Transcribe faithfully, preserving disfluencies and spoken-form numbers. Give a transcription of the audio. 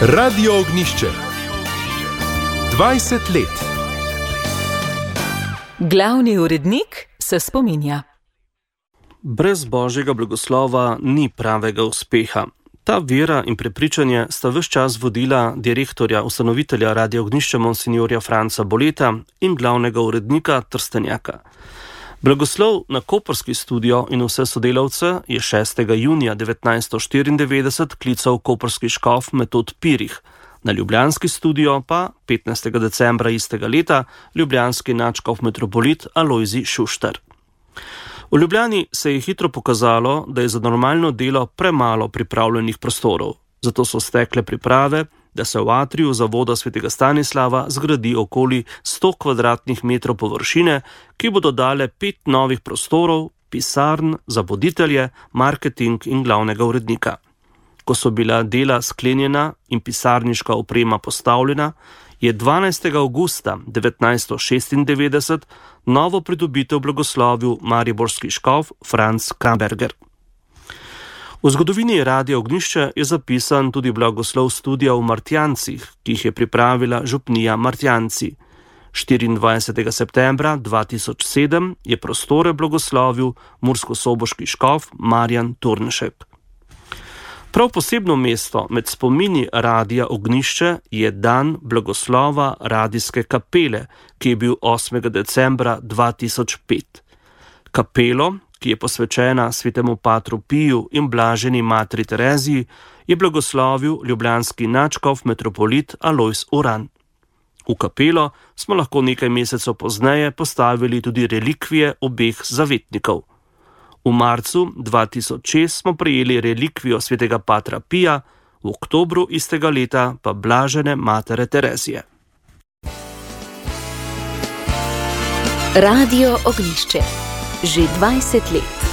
Radio Ognjišče. dvajset let. Glavni urednik se spominja. Brez božjega blagoslova ni pravega uspeha. Ta vera in prepričanje sta ves čas vodila direktorja, ustanovitelja Radia Ognjišče monsinjorja Franca Boleta in glavnega urednika Trstenjaka. Blagoslov na koprski studio in vse sodelavce je šestega junija devetnajststo štiriindevetdeset klical koprski škof Metod Pirih, na ljubljanski studio pa petnajstega decembra istega leta ljubljanski nadškof metropolit Alojzij Šuštar. V Ljubljani se je hitro pokazalo, da je za normalno delo premalo pripravljenih prostorov, zato so stekle priprave, da se v atriju zavoda svetega Stanislava zgradi okoli sto kvadratnih metrov površine, ki bodo dale pet novih prostorov, pisarn za voditelje, marketing in glavnega urednika. Ko so bila dela sklenjena in pisarniška oprema postavljena, je dvanajstega avgusta devetnajststo šestindevetdeset novo pridobitev blagoslovil mariborski škof Franc Kamberger. V zgodovini Radia Ognjišče je zapisan tudi blagoslov studia v Martjancih, ki jih je pripravila župnija Martjanci. štiriindvajsetega septembra dva tisoč sedem je prostore blagoslovil murskosoboški škof Marjan Turnšek. Prav posebno mesto med spomini Radia Ognjišče je dan blagoslova radijske kapele, ki je bil osmega decembra dva tisoč pet. Kapelo, ki je posvečena svetemu patru Piju in blaženi materi Tereziji, je blagoslovil ljubljanski nadškof metropolit Alojz Uran. V kapelo smo lahko nekaj mesecev pozneje postavili tudi relikvije obeh zavetnikov. V marcu dva tisoč šest smo prejeli relikvijo svetega patra Pija, v oktobru istega leta pa blažene matere Terezije. Radio Ognjišče. Že dvajset let.